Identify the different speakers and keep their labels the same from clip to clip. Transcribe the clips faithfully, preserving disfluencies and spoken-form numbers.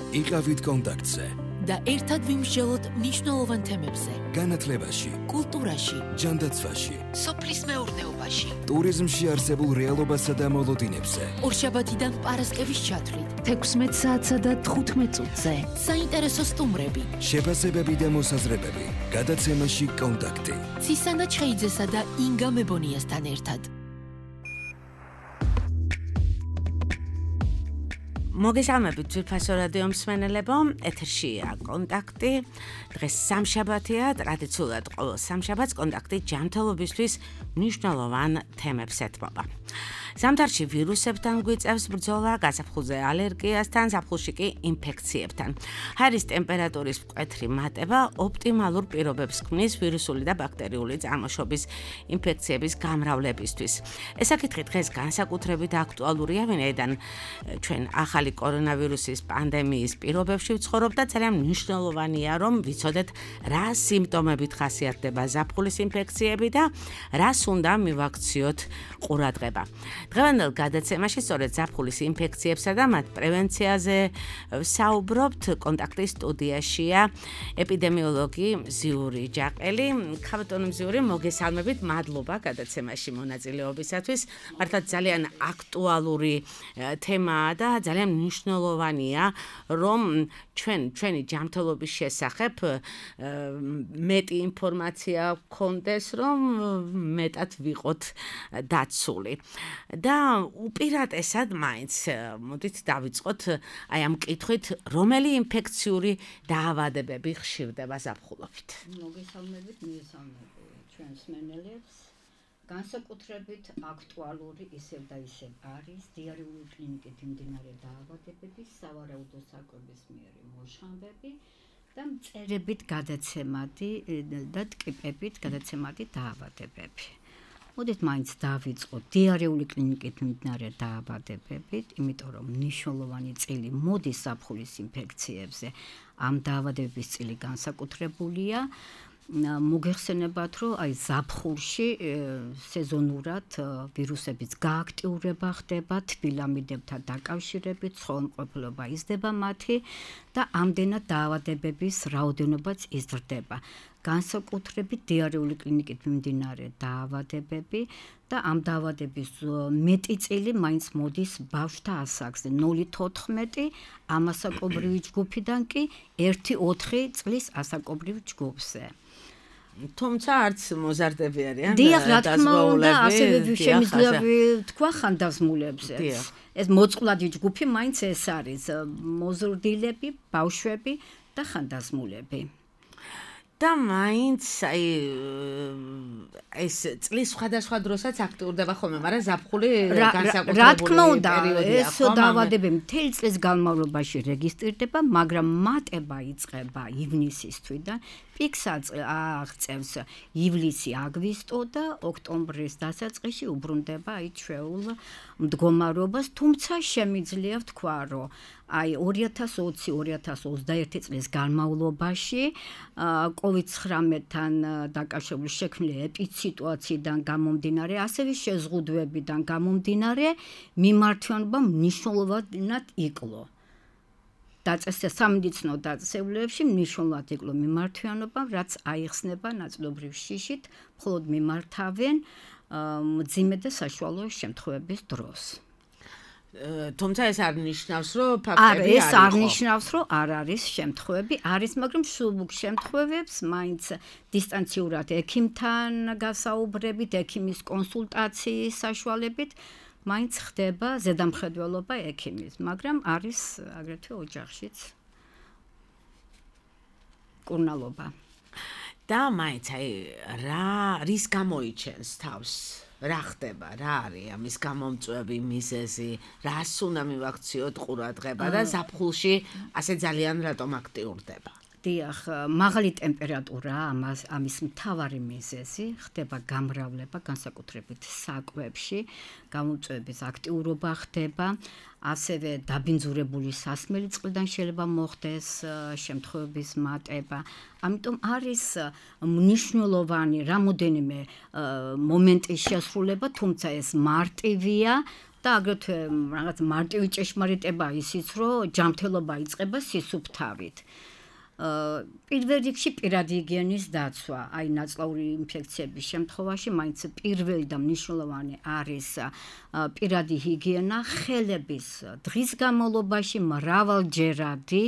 Speaker 1: იყავით კონტაქტზე
Speaker 2: და ერთად ვიმსჯელოთ მნიშვნელოვან თემებზე.
Speaker 1: განათლებაში,
Speaker 2: კულტურაში,
Speaker 1: ჯანდაცვაში,
Speaker 2: სოფლის მეურნეობაში,
Speaker 1: ტურიზმში არსებულ რეალობასა და მოლოდინებზე.
Speaker 2: ორშაბათიდან პარასკევის ჩათვლით, თექვსმეტ საათსა და თხუთმეტ წუთზე. საინტერესო სტუმრები,
Speaker 1: შეფასებები და მოსაზრებები. გადაცემაში კონტაქტი.
Speaker 2: ცისანა ჩხეიძესა და ინგა მებონიასთან ერთად.
Speaker 3: მოგესალმებით ძვირფასო რადიო მსმენელებო, ეთერშია კონტაქტი. დღეს სამშაბათია, ტრადიციულად ყოველ სამშაბათს კონტაქტი ჯანმრთელობისთვის მნიშვნელოვან თემებს ეთმობა. ზამთარში ვირუსებთან გვიწევს ბრძოლა, გაზაფხულზე ალერგიასთან, ზაფხულში კი ინფექციებთან. ჰაერის ტემპერატურის მკვეთრი მატება ოპტიმალურ პირობებს ქმნის ვირუსული და ბაქტერიული წარმოშობის ინფექციების გამრავლებისთვის. ეს საკითხი დღეს განსაკუთრებით აქტუალურია, ვინაიდან ჩვენ ახალი კორონავირუსის პანდემიის პირობებში ვცხოვრობ და ძალიან მნიშვნელოვანია, რომ ვიცოდეთ, რა სიმპტომებით ხასიათდება ზაფხულის ინფექციები და რას უნდა მივაქციოთ ყურადღება. დღევანდელ გადაცემაში სწორედ ზაფხულის ინფექციებსა და მათ პრევენციაზე საუბრობთ. კონტაქტის სტუდიაშია ეპიდემიოლოგი მზიური ჯაყელი. ქაბატონო მზიური, მოგესალმებით, მადლობა გადაცემაში მონაწილეობისათვის. მართლა ძალიან აქტუალური თემაა და ძალიან მნიშვნელოვანია, რომ ჩვენ ჩვენი ჯანმრთელობის შესახებ მეტი ინფორმაცია გქონდეს, რომ მეტად ვიყოთ დაცული. და უპირატესად მაინც მოდით დავიწყოთ აი ამ კითხვით, რომელი ინფექციური დაავადებები ხშირდება ზაფხულობით.
Speaker 4: მოგესალმებით, მოგესალმებით ჩვენ მსმენელებს. განსაკუთრებით აქტუალური ისევ და ისევ არის დიარეული კლინიკით მიმდინარე დაავადებები, სავარაუდო საკვების მიერი მოშხამები და მწერებით გადაცემადი და ტკიპებით გადაცემადი დაავადებები. მოდით მაინც დავიწყოთ დიარეული კლინიკით მიმდინარე დაავადებებით, იმიტომ რომ მნიშვნელოვანი წილი მოდის ზაფხულის ინფექციებზე. ამ დაავადებების წილი განსაკუთრებულია. მოგეხსენებათ, რომ აი ზაფხულში სეზონურად ვირუსების გააქტიურება ხდება, თბილამიდებთან დაკავშირებით, ცხოველმყოფელობა იზრდება მათი და ამდენად დაავადებების რაოდენობაც იზრდება. განსაკუთრებით დიარეული კლინიკით მიმდინარე დაავადებები და ამ დაავადების მეტი წილი მაინც მოდის ბავშვთა ასაკზე, ნული თოთხმეტი ამასაკობრივი ჯგუფიდან კი ერთი ოთხი წლის ასაკობრივ ჯგუფზე.
Speaker 3: თუმცა არც მოზარდები არიან
Speaker 4: და დიახ, რა თქმა უნდა, ასევე შემიძლია თქვა ხანდაზმულებზე. ეს მოწყვლადი ჯგუფი მაინც ეს არის, მოზრდილები, ბავშვები და ხანდაზმულები.
Speaker 3: და მაინც აი ეს წლის სხვადასხვა დროსაც აქტიურდება ხოლმე, მაგრამ ზაფხული განსაკუთრებული
Speaker 4: რა თქმა უნდა,
Speaker 3: პერიოდია.
Speaker 4: ეს დაავადებები მთელი წლის განმავლობაში რეგისტრირდება, მაგრამ მატება იწყება ივნისის თვიდან, პიკსაც აღწევს ივლისი-აგვისტო და ოქტომბრის დასაწყისში უბრუნდება აი ჩვეულ მდგომარეობას, თუმცა შემიძლია ვთქვა, რომ აი ორი ათას ოცი ორი ათას ოცდაერთი წლის განმავლობაში კოვიდ ცხრამეტთან დაკავშირებული შექმნილი ეპიდსიტუაციიდან გამომდინარე, ასევე შეზღუდვებიდან გამომდინარე, მიმართვიანობა მნიშვნელოვნად იკლო. დაწესდა სამედიცინო დაწესებულებში მნიშვნელოვნად იკლო მიმართვიანობა, რაც აიხსნება ნაწილობრივ შიშით, მხოლოდ მიმართავენ მძიმე და საშუალო შემთხვევების დროს.
Speaker 3: თუმცა ეს არ ნიშნავს, რომ ფაქტები
Speaker 4: არ ეს არ ნიშნავს, რომ არ არის შემთხვევები, არის, მაგრამ სულ შემთხვევებს მაინც დისტანციურად ექიმთან გასაუბრებით, ექიმის კონსულტაციის საშუალებით მაინც ხდება ზედამხედველობა ექიმის, მაგრამ არის აგრეთვე ოჯახშიც კურნალობა.
Speaker 3: და მაინც აი რა რის გამოიჩენს თავს? რა ხდება, რა არის ამის გამომწვევი მიზეზი, რას უნდა მივაქციოთ ყურადღება და ზაფხულში ასე ძალიან რატომ აქტიურდება?
Speaker 4: დიახ, მაღალი ტემპერატურა ამას ამის მთავარი მიზეზი, ხდება გამრავლება, განსაკუთრებით საკვებში, გამომწვევების აქტიურობა ხდება, ასევე დაბინძურებული სასმელი წყლიდან შეიძლება მოხდეს შემთხვევების მატება. ამიტომ არის მნიშვნელოვანი რამოდენიმე მომენტის შესრულება, თუმცა ეს მარტივია, და აგრეთვე რაღაც მარტივი ჭეშმარიტება ისიც, რომ ჯანმრთელობა იწყება სისუფთავით. პირველ რიგში პირადი ჰიგიენის დაცვა, აი ნაწლავური ინფექციების შემთხვევაში მაინც პირველი და მნიშვნელოვანი არის პირადი ჰიგიენა, ხელების დღის განმავლობაში მრავალჯერადი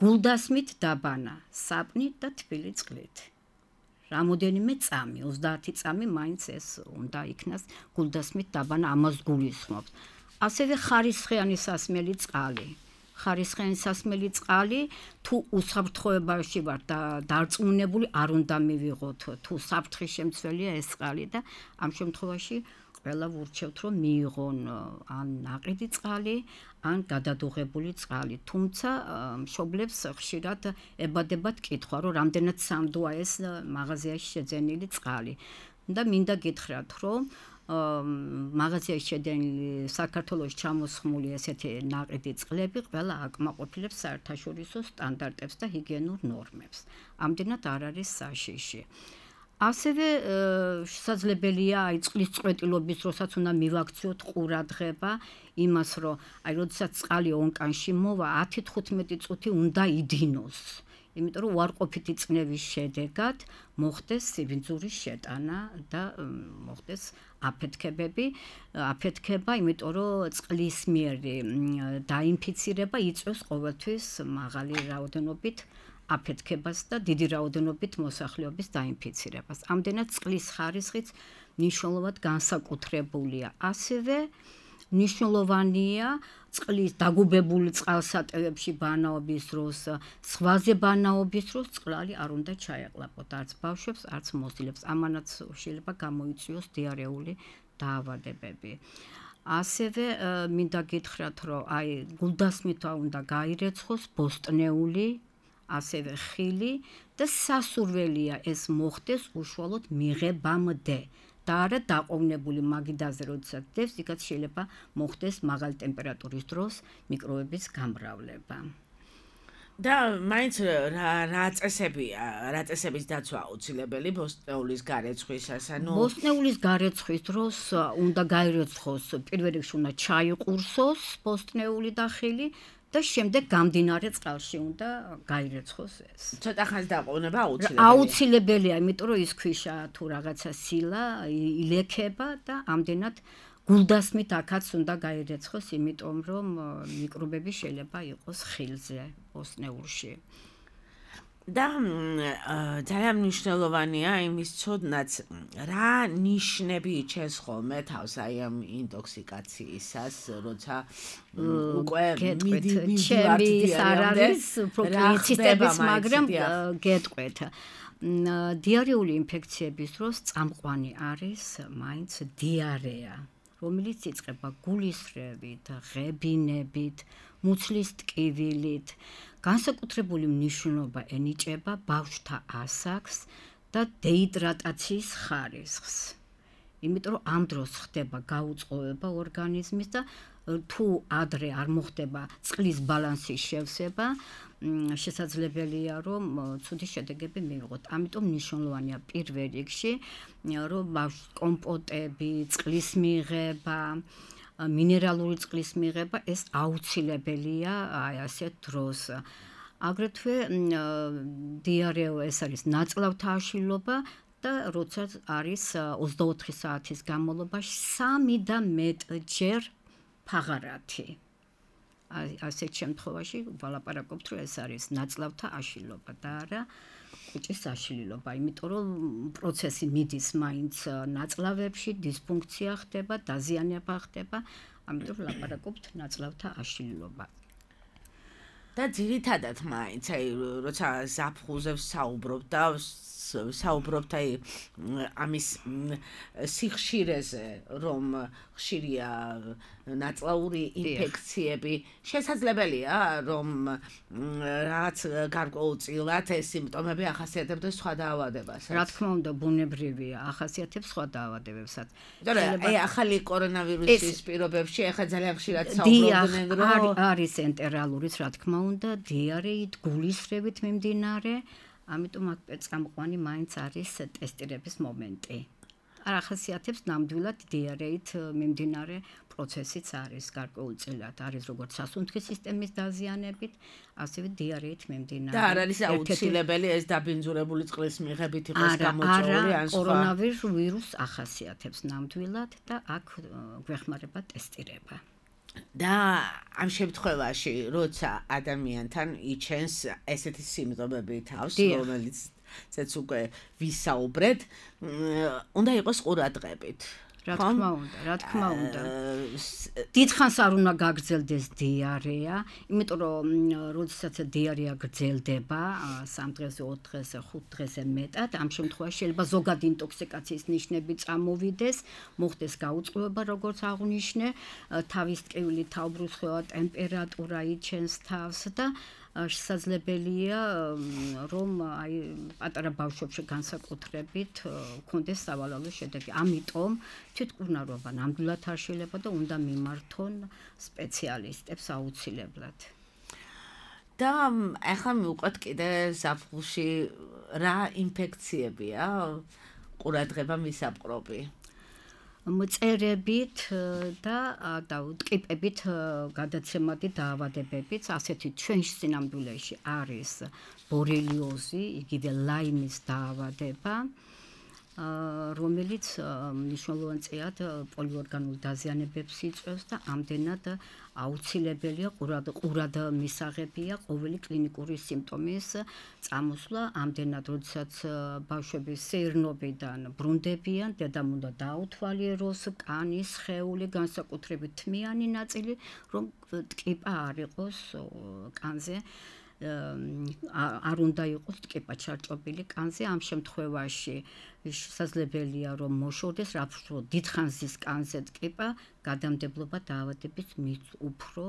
Speaker 4: გულდასმით დაბანა, საპნით და თბილი წყლით. რამოდენიმე წამი, ოცდაათი წამი მაინც ეს უნდა იქნას გულდასმით დაბანა, ამას გულისხმობს. ასევე ხარისხიანი სასმელი წყალი. ხარისხიანი სასმელი წყალი თუ უსაფრთხოებაში ვარ და დარწმუნებული არ უნდა მივიღოთ, თუ საფრთხის შემცველია ეს წყალი და ამ შემთხვევაში ყველა ვურჩევთ, რომ მიიღონ ან ნაყიდი წყალი, ან გადადუღებული წყალი. თუმცა მშობლებს ხშირად ებადებათ კითხვა, რომ რამდენად სამდოა ეს მაღაზიაში შეძენილი წყალი. და მინდა გითხრათ, რომ მაღაზიაში შეძენილი საქართველოში ჩამოსხმული ესეთი ნაყიდი წყლები ყველა აკმაყოფილებს საერთაშორისო სტანდარტებს და ჰიგიენურ ნორმებს. ამდენად არ არის საშიში. ასევე შესაძლებელია აი წყლის წყვეტილობის დროსაც უნდა მივაქციოთ ყურადღება იმას, რომ აი როდესაც წყალი ონკანში მოვა, ათი თხუთმეტი წუთი უნდა იდინოს. იმიტომ რომ უარყოფითი წნევის შედეგად მოხდეს სიბინძურის შეტანა და მოხდეს აფეთქებები, აფეთქება, იმიტომ რომ წყლის მიერი დაინფიცირება იწვევს ყოველთვის მაღალი რაოდენობით აფეთქებას და დიდი რაოდენობით მოსახლეობის დაინფიცირებას. ამდენად წყლის ხარისხიც მნიშვნელოვნად განსაკუთრებულია. ასევე მნიშვნელოვანია წყლის დაგუბებული წყალსატევებში ბანაობის დროს, სხვაზე ბანაობის დროს წყალი არ უნდა ჩაეყლაპოთ არც ბავშვებს, არც მოსილებს. ამანაც შეიძლება გამოიწვიოს დიარეული დაავადებები. ასევე მინდა გითხრათ, რომ აი გულდასმით უნდა გაირეცხოს ბოსტნეული, ასევე ხილი და სასურველია ეს მოხდეს უშუალოდ მიღებამდე. და არა დაყოვნებული მაგიდაზე, როდესაც დევს, იქაც შეიძლება მოხდეს მაღალი ტემპერატურის დროს მიკრობების გამრავლება.
Speaker 3: და მაინც რა წესებია, რა წესების დაცვა აუცილებელი ბოსტნეულის გარეცხვისას, ანუ
Speaker 4: ბოსტნეულის გარეცხვის დროს უნდა გაირეცხოს, პირველ რიგში უნდა ჩაიყურსოს ბოსტნეული და ხილი და შემდეგ გამდინარე წყალში უნდა გაირეცხოს ეს.
Speaker 3: ცოტა ხანს დაყოვნება აუცილებელია.
Speaker 4: აუცილებელია, იმიტომ რომ ის ქვიშა თუ რაღაცა სილა ილექება და ამდენად გულდასმით აქაც უნდა გაირეცხოს, იმიტომ რომ მიკრობები შეიძლება იყოს ხილზე, ბოსტნეულში. და ძალიან მნიშვნელოვანია იმის ცოდნაც, რა ნიშნები იჩენს ხოლმე თავს აი ამ ინტოქსიკაციისას, როცა უკვე მიდი ჩემი არ არის პროფილიციტების, მაგრამ გეტყვეთ. დიარეული ინფექციების დროს წამყვანი არის მაინც დიარეა, რომელიც იწყება გულისრევით, ღებინებით, მუცლის ტკივილით. განსაკუთრებული მნიშვნელობა ენიჭება ბავშვთა ასაკს და დეიდრატაციის ხარისხს. იმიტომ რომ ამ დროს ხდება გაუწყლობა ორგანიზმის და თუ ადრე არ მოხდება წყლის ბალანსის შევსება, შესაძლებელია რომ ცუდი შედეგები მივიღოთ. ამიტომ მნიშვნელოვანია პირველ რიგში რომ კომპოტები, წყლის მიღება, მინერალური წყლის მიღება ეს აუცილებელია აი ასეთ დროს. აგრეთვე დიარეო ეს არის ნაწლავთა აშლილობა და როცა არის ოცდაოთხი საათის განმავლობაში სამი და მეტჯერ ფაღარათი. ასეთ შემთხვევაში ვალაპარაკობთ, რომ ეს არის ნაწლავთა აშლილობა და არა კუჭის აშლილობა, იმიტომ რომ პროცესი მიდის მაინც ნაწლავებში, დისფუნქცია ხდება, დაზიანება ხდება, ამიტომ ვლაპარაკობთ ნაწლავთა აშლილობა.
Speaker 3: და ძირითადად მაინც აი როცა ზაფხულზე საუბრობ და საუბრობთ აი ამის სიხშირეზე, რომ ხშირია ნაწლავური ინფექციები, შესაძლებელია რომ რაღაც გარკვეულწილად ეს სიმპტომები ახასიათებდეს სხვა დაავადებასაც.
Speaker 4: რა თქმა უნდა, ბუნებრივია, ახასიათებს სხვა დაავადებებსაც.
Speaker 3: აი ახალი კორონავირუსის პირობებში ახლა ძალიან ხშირად საუბრობდნენ, რომ
Speaker 4: არის ენტერალურიც, რა თქმა უნდა, დიარეით, გულისრევით მიმდინარე, ამიტომ აქ წამყვანი მაინც არის ტესტირების მომენტი. არ ახასიათებს ნამდვილად დიარეით მიმდინარე პროცესიც არის გარკვეულწილად, არის როგორც სასუნთქის სისტემის დაზიანებით, ასევე დიარეით მიმდინარე.
Speaker 3: და არ არის აუცილებელი ეს დაბინძურებული წყლის მიღებით იყოს გამოწვეული ან სხვა.
Speaker 4: კორონავირუს ახასიათებს ნამდვილად და აქ გვეხმარება ტესტირება.
Speaker 3: და ამ შემთხვევაში, როცა ადამიანთან იჩენს ესეთი სიმპტომები თავს, რომელიც ცეც უკვე ვისაუბრეთ, უნდა იყოს ყურადღებით.
Speaker 4: რა თქმა უნდა, რა თქმა უნდა. დიდხანს არ უნდა გაგრძელდეს დიარეა, იმიტომ რომ როდესაც დიარეა გრძელდება სამ დღეზე, ოთხ დღეზე, ხუთ დღეზე მეტად, ამ შემთხვევაში შეიძლება ზოგადი ინტოქსიკაციის ნიშნები წამოვიდეს, მოხდეს გაუწყლობა, როგორც აღვნიშნე, თავის ტკივილი, თავბრუსხვევა, ტემპერატურა იჩენს თავს და შესაძლებელია რომ აი პატარა ბავშვებში განსაკუთრებით ქონდეს სავალალო შედეგი. ამიტომ თვითმკურნალობა ნამდვილად არ შეიძლება და უნდა მიმართონ სპეციალისტებს აუცილებლად.
Speaker 3: და ახლა მივყვეთ კიდე ზაფხულში რა ინფექციებია ყურადღება მისაპყრობი.
Speaker 4: მწერებით და და ტკიპებით გადაცემადი დაავადებებიც ასეთი ჩვენში სინამდვილეში არის ბორელიოზი, იგივე ლაიმის დაავადება, რომელიც მნიშვნელოვან წიად პოლიორგანულ დაზიანებებს იწვევს და ამდენად აუცილებელია ყურად ყურად მისაღებია ყოველი კლინიკური სიმპტომის წამოსვლა, ამდენად როდესაც ბავშვები სეირნობიდან ბრუნდებიან, დედამ უნდა დაუთვალიეროს კანის, სხეული, განსაკუთრებით თმიანი ნაწილი, რომ ტკიპა არ იყოს კანზე. არ უნდა იყოს ტკიპა ჩარჭობილი კანზე, ამ შემთხვევაში შესაძლებელია რომ მოშორდეს, რადგან დიდხანს ზის კანზე ტკიპა, გადამდებლობა დაავადების მით უფრო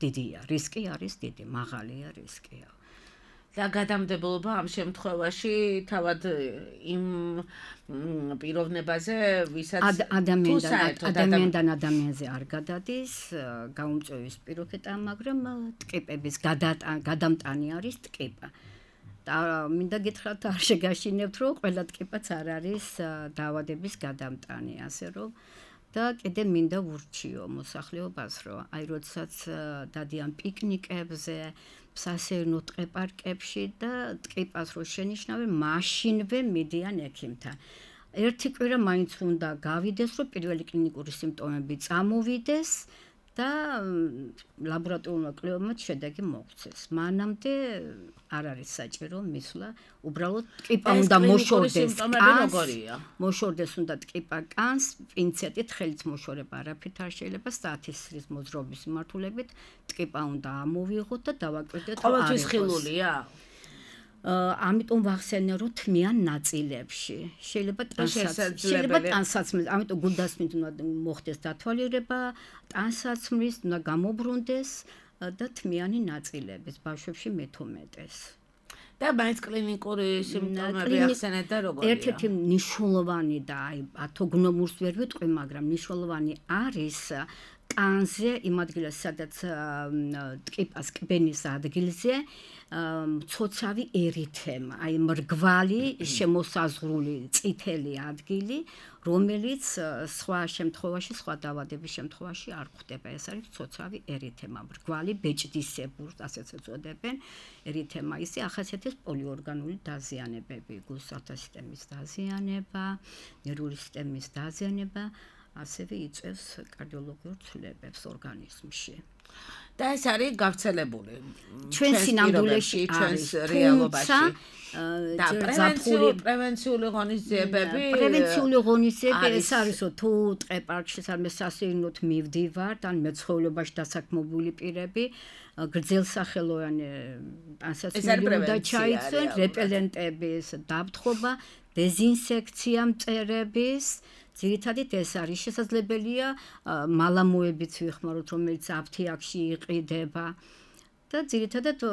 Speaker 4: დიდია, რისკი არის დიდი, მაღალია რისკია.
Speaker 3: და გადამდებლობა ამ შემთხვევაში თავად იმ პიროვნებაზე, ვისაც
Speaker 4: ადამიანიდან ადამიანზე არ გადადის, გაუმწვევის პირობითა, მაგრამ ტკიპების გადამტანი არის ტკიპა. და მინდა გითხრათ, არ შეგაშინებთ, რომ ყველა ტკიპაც არ არის დაავადების გადამტანი, ასე რომ და კიდე მინდა ვურჩიო მოსახლეობას, რომ აი როდესაც დადიან პიკნიკებზე, სასეირნო ტყე-პარკებში და ტკიპას რო შენიშნავენ, მაშინვე მიდიან ექიმთან. ერთი კვირა მაინც უნდა გავიდეს, რომ პირველი კლინიკური სიმპტომები წამოვიდეს და ლაბორატორიულმა კვლევებმა შედეგი მოგვცეს. მანამდე არ არის საჭირო მისვლა, უბრალოდ ტკიპა უნდა მოშორდეს კანს, მოშორდეს უნდა ტკიპა კანს, პინცეტით ხელით მოშორება არაფრით არ შეიძლება, სტათისტიკის მოძრაობის მიმართულებით ტკიპა უნდა ამოვიღოთ და დავაკვირდეთ,
Speaker 3: რომ არის ხილულია.
Speaker 4: ამიტომ ვახსენე რომ თმიან ნაწილებში შეიძლება ტანსაცმლის შეიძლება ტანსაცმლის ამიტომ გულდასმით უნდა მოხდეს დათვალიერება ტანსაცმლის უნდა გამობრუნდეს და თმიანი ნაწილების ბავშვებში მეთომეტეს
Speaker 3: და მაინც კლინიკური სიმპტომები ახსენეთ და როგორია
Speaker 4: ერთ-ერთი მნიშვნელოვანი და აი პათოგნომურს ვერ ვიტყვი მაგრამ მნიშვნელოვანი არის კანზე იმ ადგილას სადაც ტკიპას კბენის ადგილზე მცოცავი ერითემა, აი მრგვალი შემოსაზღვრული წითელი ადგილი, რომელიც სხვა შემთხვევაში, სხვა დაავადების შემთხვევაში არ გვხვდება. ეს არის მცოცავი ერითემა, მრგვალი ბეჭდისებურს, ასეც ეწოდებენ. ერითემა ისე ახასიათებს პოლიორგანული დაზიანებები, გულსათა სისტემის დაზიანება, ნერვული სისტემის დაზიანება, ასევე იწვევს კარდიოლოგიურ ცვლილებებს ორგანიზმში.
Speaker 3: და ეს არის გავრცელებული
Speaker 4: ჩვენ სინამდვილეში ჩვენს რეალობაში
Speaker 3: და პრევენციული პრევენციული ღონისძიებები
Speaker 4: პრევენციული ღონისძიებები ეს არისო თუ ტყე-პარკში სამე სასეირნოთ მივდივართ ან მეცხოველობაში დასაქმებული პირები გრძელსახელოვანი ტანსაცმელი უნდა ჩაიცვენ რეპელენტების დაფრთხობა დეზინსექცია მწერების ძირითადად ეს არის შესაძლებელია მალამოებიც ვიხმაროთ რომელიც აფთიაქში იყიდება და ძირითადად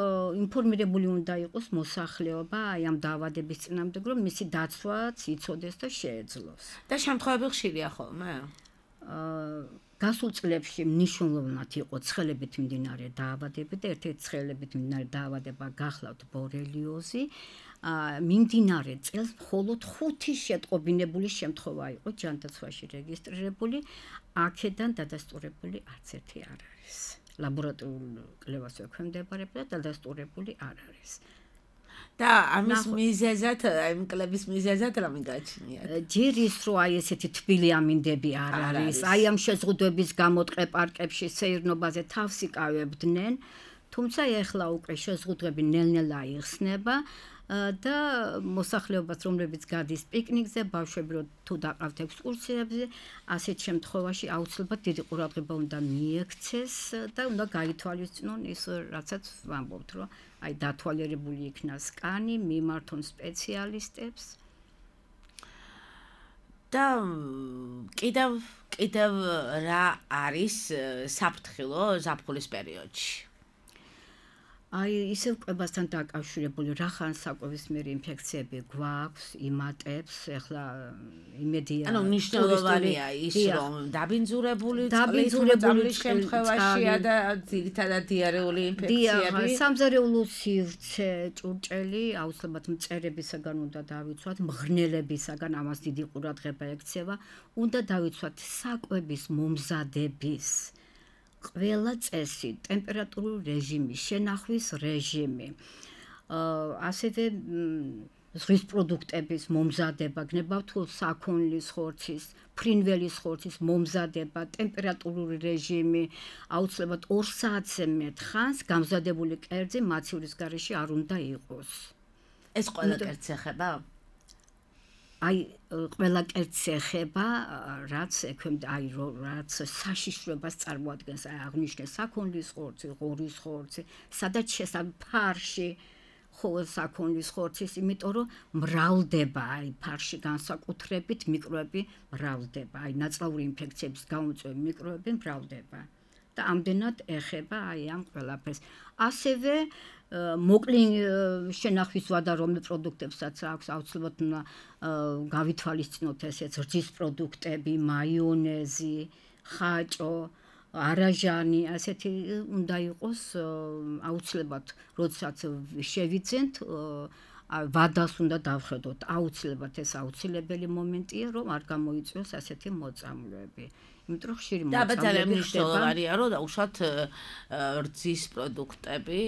Speaker 4: ინფორმირებული უნდა იყოს მოსახლეობა აი ამ დაავადების წინააღმდეგ რომ მისი დაცვაც იცოდეს და შეეძლოს
Speaker 3: და შემთხვევები ხშირია ხოლმე
Speaker 4: გასულ წლებში მნიშვნელოვნად იყო ცხელებით მიმდინარე დაავადებები და ერთ-ერთი ცხელებით მიმდინარე დაავადება გახლავთ ბორელიოზი მიმდინარე წელს მხოლოდ ხუთი შეტყობინებული შემთხვევა იყო ჯანდაცვაში რეგისტრირებული, აქედან დადასტურებული არც ერთი არ არის. ლაბორატორიულ კვლევას ექვემდებარება და დადასტურებული არ არის.
Speaker 3: და ამის მიზეზად, აი კლების მიზეზად რა მიგაჩნიათ?
Speaker 4: ჯერ ის რომ აი ესეთი თბილი ამინდები არ არის, აი ამ შეზღუდვების გამო ტყე პარკებში სეირნობაზე თავს იკავებდნენ, თუმცა ეხლა უკვე შეზღუდვები ნელ-ნელა იხსნება და მოსახლეობას, რომლებიც გადის პიკნიკზე, ბავშვები რო თუ დაყავთ ექსკურსიებზე, ასეთ შემთხვევაში აუცილებლად დიდი ყურადღება უნდა მიექცეს და უნდა გაითვალისწინონ ის, რაცაც ვამბობთ, რომ აი დათვალიერებული იქნა სკანი, მიმართონ სპეციალისტებს.
Speaker 3: და კიდევ კიდევ რა არის საფრთხილო ზაფხულის პერიოდში?
Speaker 4: აი ისევ კვებასთან დაკავშირებული რახან საკვებისმიერი ინფექციები გვაქვს, იმატებს, ეხლა იმედია.
Speaker 3: ანუ მნიშვნელოვანია ის, რომ დაბინძურებული წყლის შემთხვევაშია და ძირითადად დიარეული ინფექციები.
Speaker 4: დია, სამზარეულო სივრცე, ჭურჭელი, აუცილებლად მწერებისაგან უნდა დავიცვათ, მღრღნელებისაგან ამას დიდი ყურადღება ექცევა, უნდა დავიცვათ საკვების მომზადების ყველა წესი, ტემპერატურული რეჟიმი, შენახვის რეჟიმი, ასევე ზღვის პროდუქტების მომზადება, გნებავთ თუ საქონლის ხორცის, ფრინველის ხორცის მომზადება, ტემპერატურული რეჟიმი, აუცილებლად ორ საათზე მეტ ხანს გამზადებული კერძი მაცივრის გარეშე არ უნდა იყოს.
Speaker 3: ეს ყველა კერძს ეხება?
Speaker 4: აი ყველა კერძს ეხება, რაც ექვემდა, აი რაც საშიშროებას წარმოადგენს, აი აღნიშნე საქონლის ხორცი, ღორის ხორცი, სადაც შესაძლოა ფარში ხო საქონლის ხორცის, იმიტომ რომ მრავლდება, აი ფარში განსაკუთრებით მიკროები მრავლდება, აი ნაწლავური ინფექციების გამომწვევი მიკროები მრავლდება და ამდენად ეხება აი ამ ყველაფერს. ასევე მოკლი შენახვის ვადა რომელ პროდუქტებსაც აქვს აუცილებლად უნდა გავითვალისწინოთ ესეც რძის პროდუქტები, მაიონეზი, ხაჭო, არაჟანი, ასეთი უნდა იყოს აუცილებლად, როდესაც შევიძენთ, ვადას უნდა დავხედოთ, აუცილებლად ეს აუცილებელი მომენტია, რომ არ გამოიწვიოს ასეთი მოწამვლები. იმიტომ რომ ხშირი
Speaker 3: მოწამვლები მნიშვნელოვანია, რომ დაუშვათ რძის პროდუქტები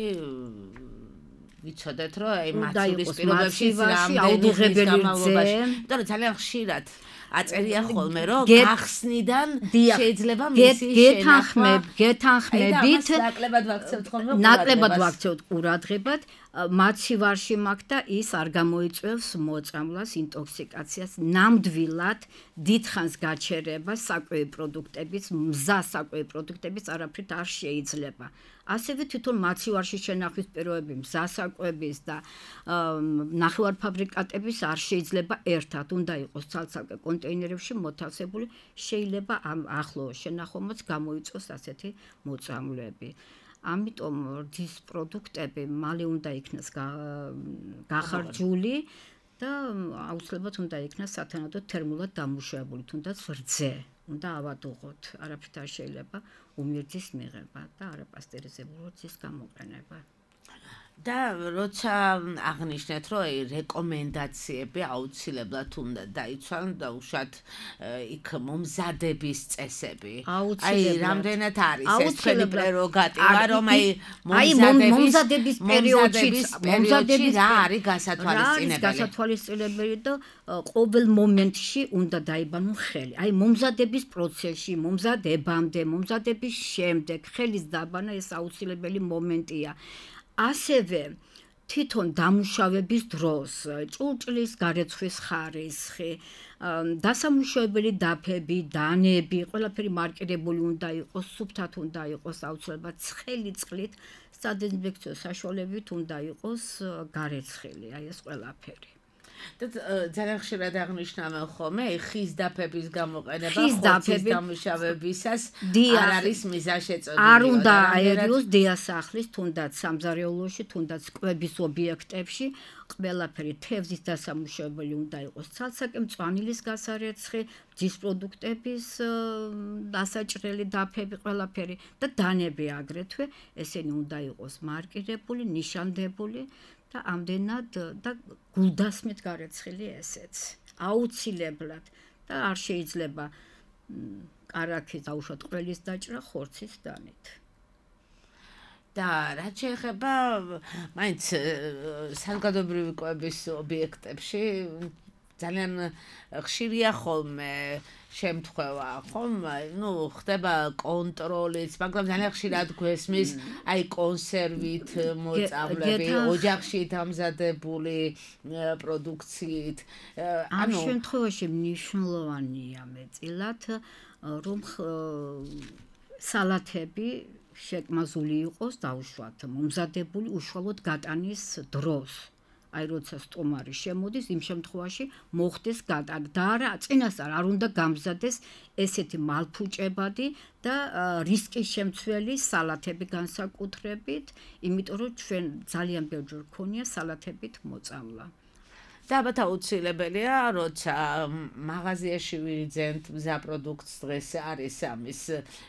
Speaker 3: ვიცოდეთ, რომ აი მაცივრის პირობებში
Speaker 4: აუდიღებელი რძე,
Speaker 3: იმიტომ რომ ძალიან ხშირად აწერია ხოლმე, რომ გახსნიდან შეიძლება მისი
Speaker 4: შენახვა გეთანხმებით
Speaker 3: ნაკლებად ვაქცევთ ხოლმე
Speaker 4: ნაკლებად ვაქცევთ ყურადღებად მაცივარში მაქვს და ის არ გამოიწვევს მოწამვლას, ინტოქსიკაციას, ნამდვილად დიდხანს გაჩერებას საკვები პროდუქტების, მზა საკვები პროდუქტების არაფრით არ შეიძლება. ასევე თვითონ მაცივარში შენახვის პირობები, მზა საკვების და ნახევარფაბრიკატების არ შეიძლება ერთად, უნდა იყოს ცალ-ცალკე კონტეინერებში მოთავსებული, შეიძლება ამ ახლო შენახვამაც გამოიწვოს ასეთი მოწამვლები. ამიტომ რძის პროდუქტები მალე უნდა იქნას გახარჯული და აუცილებლად უნდა იქნას სათანადო თერმულად დამუშავებული, თუნდაც რძე უნდა ავადუღოთ, არაფრით არ შეიძლება უმირჯის მიღება და არაპასტერიზებული რძის გამოყენება.
Speaker 3: და როცა აღნიშნეთ, რომ რეკომენდაციები აუცილებლად უნდა დაიცვან და უშუალოდ იქ მომზადების წესები. აი, რამდენად არის ეს თქვენი პრეროგატივა, რომ აი
Speaker 4: მომზადების პერიოდში
Speaker 3: მომზადების რა არის გასათვალისწინებელი?
Speaker 4: გასათვალისწინებელი და ყოველ მომენტში უნდა დაიბანონ ხელი. აი, მომზადების პროცესში, მომზადებამდე, მომზადების შემდეგ ხელის დაბანა ეს აუცილებელი მომენტია. ასევე თვითონ დამუშავების დროს, ჭურჭლის გარეცხვის ხარისხი, დასამუშავებელი დაფები, დანები, ყველაფერი მარკირებული უნდა იყოს, სუფთად უნდა იყოს, აუცილებლად ცხელი წყლით, სადეზინფექციო საშუალებით უნდა იყოს გარეცხილი, აი ეს ყველაფერი.
Speaker 3: და ძალიან ხშირად აღნიშნავენ ხოლმე ხის დაფების გამოყენება ხორცის დამუშავებისას არ არის მიზანშეწონილი.
Speaker 4: არ უნდა აერიოს დიასახლის, თუნდაც სამზარეულოში, თუნდაც კვების ობიექტებში, ყველაფერი თევზის დასამუშავებელი უნდა იყოს ცალსაკე, მწვანილის გასარეცხი, ძის პროდუქტების დასაჭრელი დაფები, ყველაფერი და დანები აგრეთვე, ესენი უნდა იყოს მარკირებული, ნიშანდებული და ამდენად და გულდასმით გარეცხილი ესეც. აუცილებლად და არ შეიძლება კარაქის დაუშვათ ყველის დაჭრა ხორცის დანით.
Speaker 3: და რაც შეეხება მაინც საზოგადოებრივი კვების ობიექტებში ძალიან ხშირია ხოლმე შემთხვევა, ხომ? ნუ ხდება კონტროლიც, მაგრამ ძალიან ხშირად გვესმის აი კონსერვით მოწამლები, ოჯახში დამზადებული პროდუქციით.
Speaker 4: ამ შემთხვევაში მნიშვნელოვანია მეტილად, რომ სალათები შეკმაზული იყოს დაუშვათ მომზადებული უშუალოდ გატანის დროს. აი როცა სტომარი შემოდის, იმ შემთხვევაში მოხდეს გატანა და არა წინასწარ არ უნდა გამზადეს ესეთი მალფუჭებადი და რისკის შემცველი სალათები განსაკუთრებით, იმიტომ რომ ჩვენ ძალიან ბევრჯერ გქონია სალათებით მოწამლა.
Speaker 3: და ალბათ აუცილებელია, როცა მაღაზიაში ვიძენთ მზა პროდუქტს დღეს არის ამის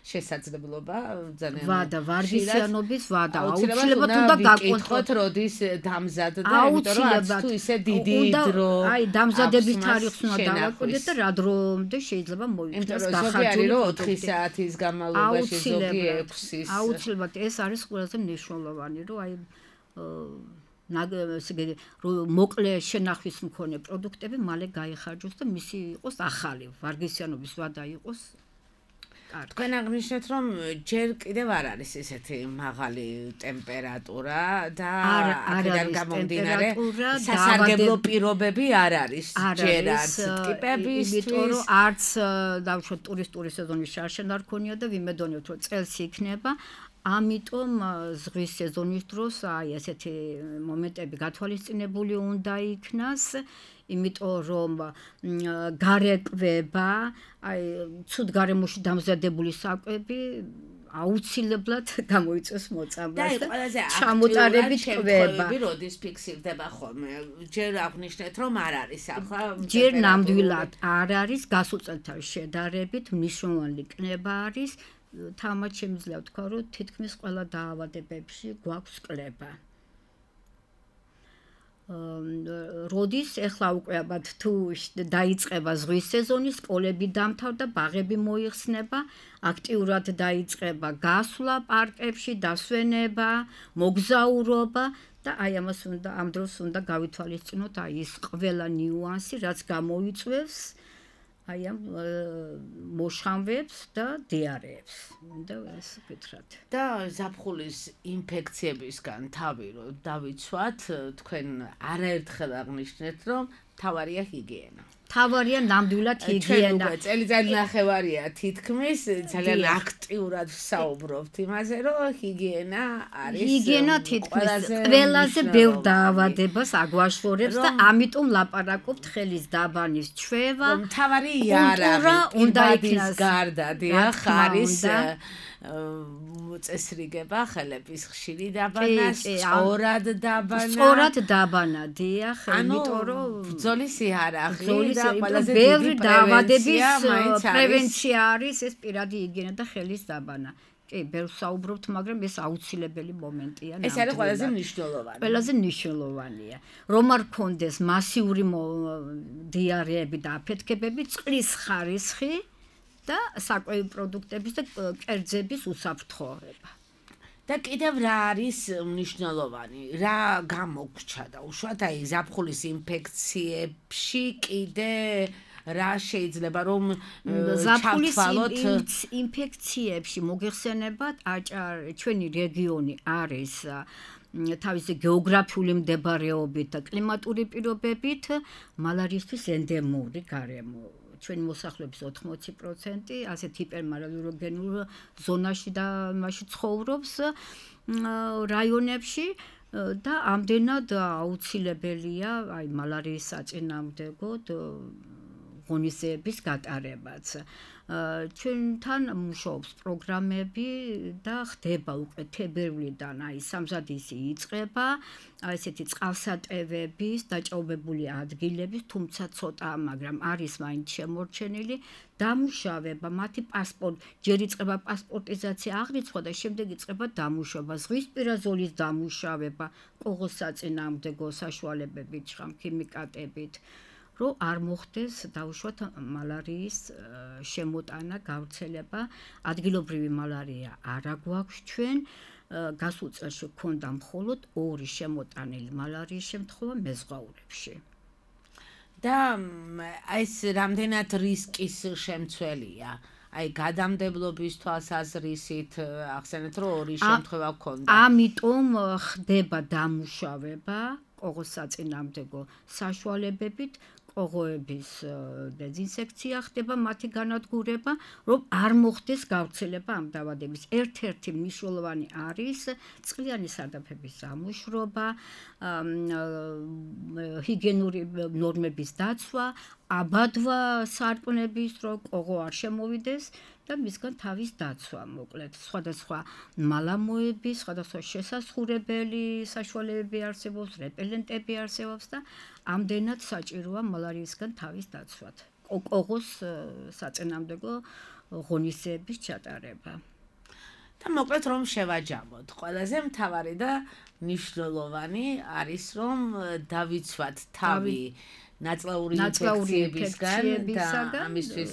Speaker 3: შესაძლებლობა ძალიან
Speaker 4: ვადა ვარგისიანობის ვადა აუცილებლად უნდა
Speaker 3: გაკითხოთ როდის დამზადდა, იმიტომ რომ არც თუ ისე დიდი დრო
Speaker 4: აი დამზადების თარიღს უნდა დავაკვირდეთ და რა დრომდე შეიძლება მოიქცეს
Speaker 3: დახარჯული ოთხი საათის განმავლობაში ზოგი ექვსის
Speaker 4: აუცილებლად ეს არის ყველაზე მნიშვნელოვანი, რომ აი მოკლე შენახვის მქონე პროდუქტები მალე გაიხარჯოს და მისი იყოს ახალი ვარგისიანობის ვადა იყოს კარგი.
Speaker 3: თქვენ აღნიშნეთ, რომ ჯერ კიდევ არ არის ესეთი მაღალი ტემპერატურა და აქედან გამომდინარე სასარგებლო პირობები არ არის ჯერ არც ტიპებისთვის,
Speaker 4: იმიტომ რომ არც დავუშვათ ტურისტული სეზონის შარშან არ ქონია და ვიმედოვნებთ, რომ წელს იქნება. ამიტომ ზღვის სეზონის დროს აი ესეთი მომენტები გათვალისწინებული უნდა იქნას, იმიტომ რომ გარეკվება, აი ცუდ გარემოში დამზადებული საკვები აუცილებლად გამოიწვევს მოწამლას და ჩამოტარებით კვება.
Speaker 3: როდის ფიქსირდება ხოლმე? ჯერ აღნიშნეთ, რომ არ არის ახლა.
Speaker 4: ჯერ ნამდვილად არ არის, გასულ წელთან შედარებით მნიშვნელოვანი კნება არის. თამათ შემიძლია ვთქვა, რომ თითქმის ყველა დაავადებებში გვაქვს კლება. როდის ეხლა უკვე ალბათ თუ დაიწყება ზღვის სეზონი, სკოლები დამთავრდა, ბაღები მოიხსნება, აქტიურად დაიწყება გასვლა პარკებში, დასვენება, მოგზაურობა და აი ამას უნდა ამ დროს უნდა გავითვალისწინოთ აი ის ყველა ნიუანსი, რაც გამოიწვევს აი ამ მოშამვებს და დიარეებს. და ეს ვკითხოთ.
Speaker 3: და ზაფხულის ინფექციებისგან თავი რომ დავიცვათ, თქვენ არაერთხელ აღნიშნეთ, რომ თავარია ჰიგიენა.
Speaker 4: თავარია ნამდვილად ჰიგიენა.
Speaker 3: ჩვენ წელიწად ნახევარია თითქმის ძალიან აქტიურად ვსაუბრობთ იმაზე, რომ ჰიგიენა არის
Speaker 4: ჰიგიენა თითქმის ყველაზე ბევრ დაავადებას აგვაშორებს და ამიტომ ლაპარაკობთ ხელის დაბანის ჩვევა.
Speaker 3: თავარი იარაღი უნდა იქნას გარდა, დიახ, არის წესრიგება ხელების ხშირი დაბანა, სწორად დაბანა.
Speaker 4: სწორად დაბანა, დიახ, იმიტომ რომ
Speaker 3: ბრძოლის იარაღი და
Speaker 4: ყველაზე დიდი დაავადების პრევენცია არის ეს პირადი ჰიგიენა და ხელის დაბანა. კი, ბევრ საუბრობთ, მაგრამ ეს აუცილებელი მომენტია.
Speaker 3: ეს არის ყველაზე მნიშვნელოვანი.
Speaker 4: ყველაზე მნიშვნელოვანია. რომ არ გქონდეს მასიური დიარეები და აფეთქებები, წყლის ხარისხი და საკვები პროდუქტების და კერძების უსაფრთხოება.
Speaker 3: და კიდევ რა არის მნიშვნელოვანი? რა გამოგრჩა და უშუალოდ აი ზაფხულის ინფექციებში კიდე რა შეიძლება რომ
Speaker 4: ზაფხულის ინფექციებში მოგეხსენებათ აჭარ ჩვენი რეგიონი არის თავისი გეოგრაფიული მდებარეობით და კლიმატური პირობებით მალარიისთვის ენდემური გარემო. ჩვენი მოსახლეობის ოთხმოცი პროცენტი ასეთ ჰიპერმალარიოგენურ ზონაში და მასში ცხოვრობს რაიონებში და ამდენად აუცილებელია აი მალარიის საწინააღმდეგოდ ღონისძიების გატარებაც. ჩვენთან მუშაობს პროგრამები და ხდება უკვე თებერვლიდან აი სამზადისი იწყება აი ესეთი წყალსატევების დაჭაობებული ადგილების თუმცა ცოტა მაგრამ არის მაინც შემორჩენილი დამუშავება მათი პასპორტი ჯერ იწყება პასპორტიზაცია აღრიცხვა და შემდეგ იწყება დამუშავება ზღვისპირა ზოლის დამუშავება ყოღოს საწინააღმდეგო საშუალებებით ხმ-ქიმიკატებით რომ არ მოხდეს დაუშვათ მალარიის შემოტანა გავრცელება ადგილობრივი მალარია არა გვაქვს ჩვენ გასულ წელს გვქონდა მხოლოდ ორი შემოტანილი მალარიის შემთხვევა მეზღვაურებში
Speaker 3: და ეს რამდენად რისკის შემცველია აი გადამდებლობის თვალსაზრისით ახსენეთ რომ ორი შემთხვევა გქონდა
Speaker 4: ამიტომ ხდება დამუშავება ყოღოს საწინააღმდეგო საშუალებებით ყოღოების დეზინსექცია ხდება მათი განადგურება რომ არ მოხდეს გავრცელება ამ დაავადების ერთ-ერთი მნიშვნელოვანი არის წყლიანი სარდაფების დამუშვრობა ჰიგიენური ნორმების დაცვა აბადვა სარკმლების რომ ყოღო არ შემოვიდეს და მისგან თავის დაცვა მოკლედ სხვადასხვა მალამოების სხვადასხვა შესასხურებელი საშუალებები არსებობს რეპელენტები არსებობს და ამდენად საჭიროა მალარიისგან თავის დაცვად ყოღოს საწინააღმდეგო ღონისძიების ჩატარება
Speaker 3: და მოკლედ რომ შევაჯამოთ ყველაზე მთავარი და მნიშვნელოვანი არის რომ დავიცვათ თავი ნაწლაური ინფექციებისგან და ამისთვის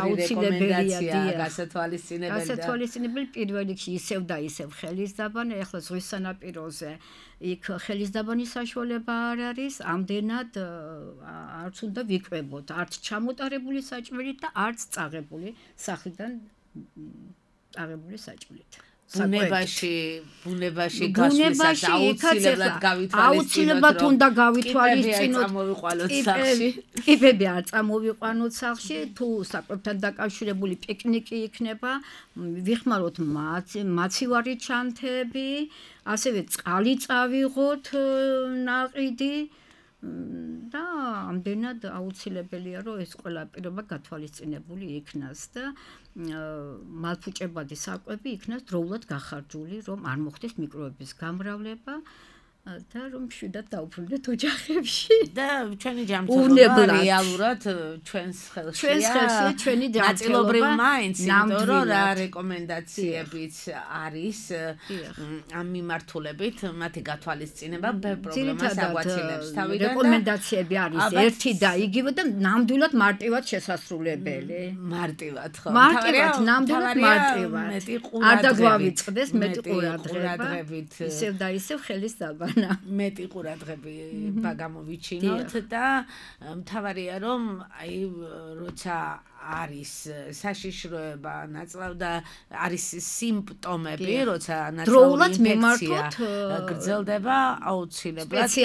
Speaker 3: აუცილებელია გასათვალისწინებელი
Speaker 4: გასათვალისწინებელი პირველ რიგში ისევ და ისევ ხელისდაბანი ახლა ზღვის სანაპიროზე იქ ხელისდაბანის საშუალება არ არის ამდენად არც უნდა ვიკვებოთ არც ჩამოტარებული საჭმელით და არც წაღებული სახლიდან წაღებული საჭმელით
Speaker 3: ბუნებაში ბუნებაში გასვლისას აუცილებლად გავითვალისწინოთ
Speaker 4: აუცილებლად უნდა გავითვალისწინოთ
Speaker 3: სახლში
Speaker 4: კიბები არ წამოვიყვანოთ სახლში თუ საკვებთან დაკავშირებული პიკნიკი იქნება ვიხმაროთ მაცივარი ჩანთები ასევე წყალი წავიღოთ ნაყიდი და ამდენად აუცილებელია რომ ეს ყველა პირობა გათვალისწინებული იქნას და მალფუჭებადი საკვები იქნას დროულად გახარჯული რომ არ მოხდეს მიკროების გამრავლება და რომ შვიდად დაუბრუნდეთ ოჯახებში
Speaker 3: და ჩვენი ჯანმრთელობა რეალურად ჩვენს ხელშია
Speaker 4: ჩვენს ხელშია ჩვენი
Speaker 3: ნაწილობრივ მაინც იმიტომ რომ რა რეკომენდაციებიც არის ამ მიმართულებით მათი გათვალისწინება ბევრ პრობლემას აგვაცილებს თავიდან
Speaker 4: რეკომენდაციები არის ერთი და იგივე და ნამდვილად მარტივად შესასრულებელი
Speaker 3: მარტივად ხო
Speaker 4: მარტივად ნამდვილად მარტივად არ დაგვავიწყდეს მეტი ყურადღებით ისევ და ისევ ხელისდაბა
Speaker 3: მეტი ყურადღები გამოვიჩინოთ და მთავარია რომ აი როცა არის საშიშროება ნაწლავ და არის სიმპტომები როცა ნაწლავი ინფექცია გრძელდება აუცილებლად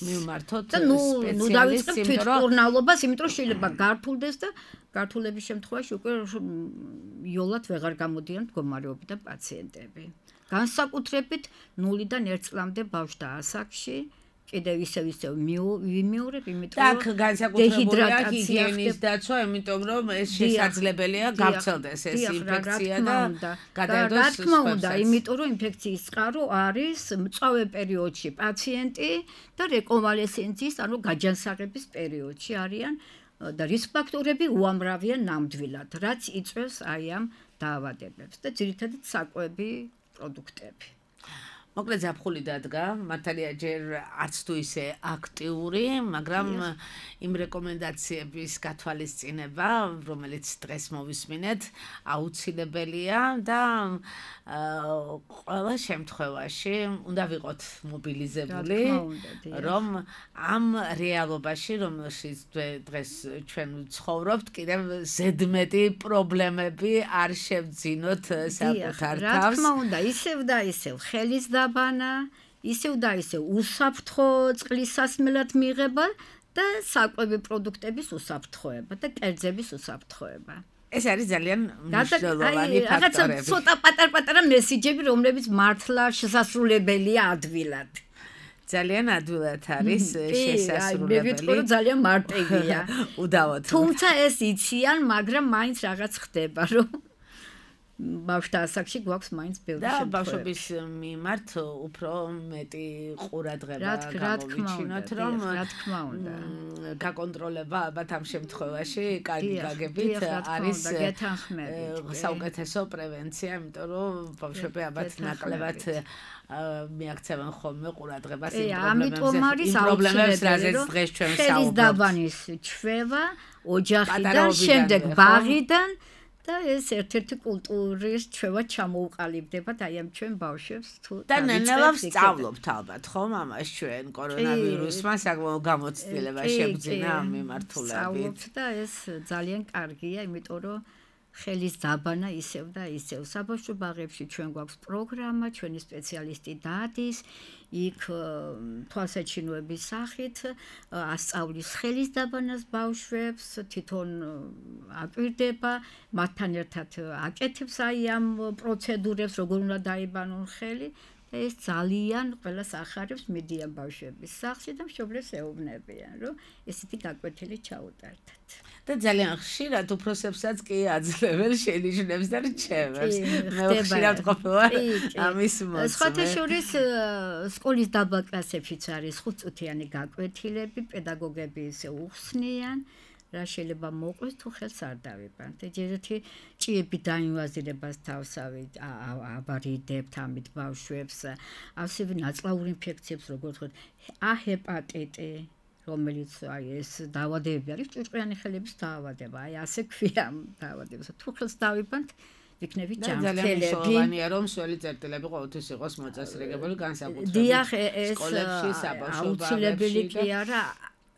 Speaker 3: მივმართოთ
Speaker 4: და ნუ ნუ დავიწყებთ თვითმკურნალობას იმიტომ შეიძლება გართულდეს და გართულების შემთხვევაში უკვე იოლად ვეღარ გამოდიან მდგომარეობიდან პაციენტები განსაკუთრებით ნულიდან ერთ წლამდე ბავშვთა ასაკში კიდევ ისევ ისევ ვიმეორებ იმიტომ
Speaker 3: რომ განსაკუთრებულია ჰიგიენის დაცვა იმიტომ რომ ეს შესაძლებელია გავრცელდეს ეს ინფექცია და გადაიდოს
Speaker 4: რა თქმა უნდა იმიტომ რომ ინფექციის წყარო არის მწვავე პერიოდში პაციენტი და რეკონვალესენციის ანუ გაჯანსაღების პერიოდში არიან და რისკ ფაქტორები უამრავია ნამდვილად რაც იწვევს აი ამ დაავადებებს და ძირითადად საკვები პროდუქტები.
Speaker 3: მოკლედ ზაფხული დადგა, მართალია ჯერ არც თუ ისე აქტიური, მაგრამ იმ რეკომენდაციების გათვალისწინება, რომელიც დღეს მოვისმინეთ, აუცილებელია და ყველა შემთხვევაში უნდა ვიყოთ მობილიზებული, რომ ამ რეალობაში, რომელშიც დღეს ჩვენ ვცხოვრობთ, კიდევ ზედმეტი პრობლემები არ შევძინოთ საკუთარ თავს.
Speaker 4: რა თქმა უნდა, ისევ და ისევ ხელისდაბანა, ისევ და ისევ უსაფრთხო წყლის სასმელად მიღება და საკვები პროდუქტების უსაფრთხოება და კერძების უსაფრთხოება.
Speaker 3: ეს არის ძალიან მნიშვნელოვანი ფაქტორები.
Speaker 4: რაღაცა ცოტა პატარ-პატარა მესიჯები, რომლებიც მართლა შესასრულებელია ადვილად.
Speaker 3: ძალიან ადვილად არის შესასრულებელი.
Speaker 4: მე ვიტყვი რომ ძალიან მარტივია.
Speaker 3: უდავოდ.
Speaker 4: თუმცა ეს იციან, მაგრამ მაინც რაღაც ხდება, რომ ბავშვთა ასაკში გვაქვს მაინც ბევრი
Speaker 3: და
Speaker 4: შემთხვევები.
Speaker 3: ბავშვების მიმართ უფრო მეტი ყურადღება
Speaker 4: რა
Speaker 3: გამოვიჩინოთ, რომ
Speaker 4: რა თქმა უნდა.
Speaker 3: გაკონტროლება ალბათ ამ შემთხვევაში კარგი გაგებით არის საუკეთესო პრევენცია, იმიტომ რომ ბავშვები ალბათ ნაკლებად მიაქცევენ ხოლმე ყურადღებას იმ პრობლემებს, რაზეც დღეს ჩვენ ვსაუბრობთ.
Speaker 4: ხელის დაბანის ჩვევა ოჯახიდან, შემდეგ ბაღიდან და ეს ერთ-ერთი კულტურის ჩვევა ჩამოუყალიბდება და აი ამ ჩვენ ბავშვებს თუ
Speaker 3: და ნელა ვსწავლობთ ალბათ ხო მამას ჩვენ კორონავირუსმა საკმაოდ გამოცდილება შეგძინა ამ მიმართულებით.
Speaker 4: ვსწავლობთ და ეს ძალიან კარგია, იმიტომ რომ ხელის დაბანა ისევ და ისევ საბავშვო ბაღებში ჩვენ გვაქვს პროგრამა, ჩვენი სპეციალისტი დადის, იქ თვალსაჩინოების სახით ასწავლის ხელის დაბანას ბავშვებს, თვითონ აკვირდება, მათთან ერთად აკეთებს აი ამ პროცედურებს, როგორ უნდა დაიბანონ ხელი. ეს ძალიან ყველას ახარებს, მიდიან ბავშვების სახლში და მშობლებს ეუბნებიან, რომ ესეთი გაკვეთილი ჩაუტარდათ.
Speaker 3: და ძალიან ხშირად უფროსებსაც კი აძლევენ შენიშვნებს და რჩევებს. მე ხშირად ყოფილა ამის მოწმე.
Speaker 4: სხვათა შორის სკოლის დაბალ კლასებშიც არის ხუთწუთიანი გაკვეთილები, პედაგოგები ისე უხსნიან. რა შეიძლება მოყვეს თუ ხელს არ დავიბანთ. ეჯერეთი ჭიები დაინვაზირებას თავსავე აბარიდებთ ამით ბავშვებს, ასევე ნაწლავურ ინფექციებს, როგორც ვთქვათ, ა ჰეპატიტი, რომელიც აი ეს დაავადებები არის, ჭურჭყიანი ხელების დაავადება. აი ასე ქვია ამ დაავადებას. თუ ხელს დავიბანთ, ვიქნებით ჯანმრთელები.
Speaker 3: ძალიან მნიშვნელოვანია, რომ სველი წერტილები ყოველთვის იყოს მოწესრიგებული, განსაკუთრებით
Speaker 4: დიახ, ეს
Speaker 3: სკოლებში, საბავშვო
Speaker 4: აუცილებელი კი არა.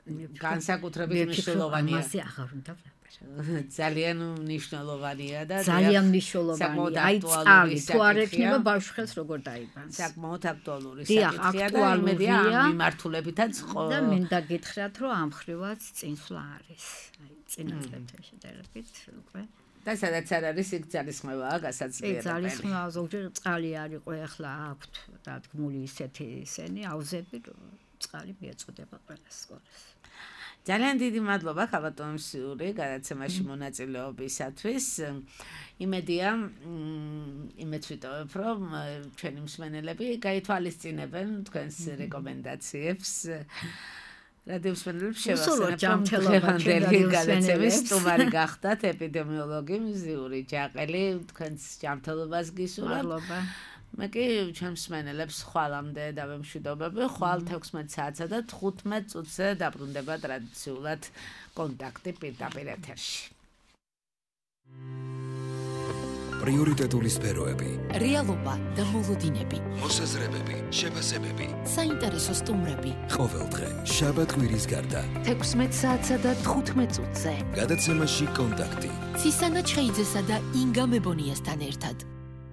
Speaker 3: განსაკუთრებით მნიშვნელოვანია.
Speaker 4: ამაზე აღარ უნდა ვლაპარაკო.
Speaker 3: ძალიან მნიშვნელოვანია და
Speaker 4: ძალიან მნიშვნელოვანია. აი წალი, თუ არ ექნება ბავშვ ხელს როგორ დაიბანს.
Speaker 3: საკმაოდ აქტუალური საკითხია და იმედია ამ მიმართულებითაც ხო.
Speaker 4: და მინდა გითხრათ, რომ ამ ხრივაც წინსვლა არის. აი წინა წლებთან შედარებით უკვე.
Speaker 3: და სადაც არ არის იქ ძალისხმევაა გასაძლიერებელი.
Speaker 4: ძალისხმევა ზოგჯერ წყალი არ იყო, ახლა აქვთ დადგმული ისეთი ისენი აუზები, რომ წყალი მიეწოდება ყველა სკოლას.
Speaker 3: ძალიან დიდი მადლობა ხაბატონსიური გადაცემაში მონაწილეობისათვის. იმედია, იმედს ვიტოვებ, რომ ჩვენი მსმენელები გაითვალისწინებენ თქვენს რეკომენდაციებს. რადიო მსმენელებს შევახსენებ, დღევანდელი გადაცემის სტუმარი გახდათ ეპიდემიოლოგი მზიური ჯაყელი. თქვენს ჯანმრთელობას გისურვებ.
Speaker 4: მადლობა.
Speaker 3: მე კი ჩემს მსმენელებს ხვალამდე დავემშვიდობები. ხვალ თექვსმეტ საათსა და თხუთმეტ წუთზე დაბრუნდება ტრადიციულად კონტაქტი პირდაპირ ეთერში.
Speaker 1: პრიორიტეტული სფეროები,
Speaker 2: რეალობა და მოლოდინები,
Speaker 1: მოსაზრებები, შეფასებები,
Speaker 2: საინტერესო სტუმრები.
Speaker 1: ყოველდღე შაბათ-კვირის გარდა
Speaker 2: თექვსმეტ საათსა და თხუთმეტ წუთზე
Speaker 1: გადაცემაში კონტაქტი.
Speaker 2: ცისანა ჩხეიძესა და ინგა მებონიასთან ერთად.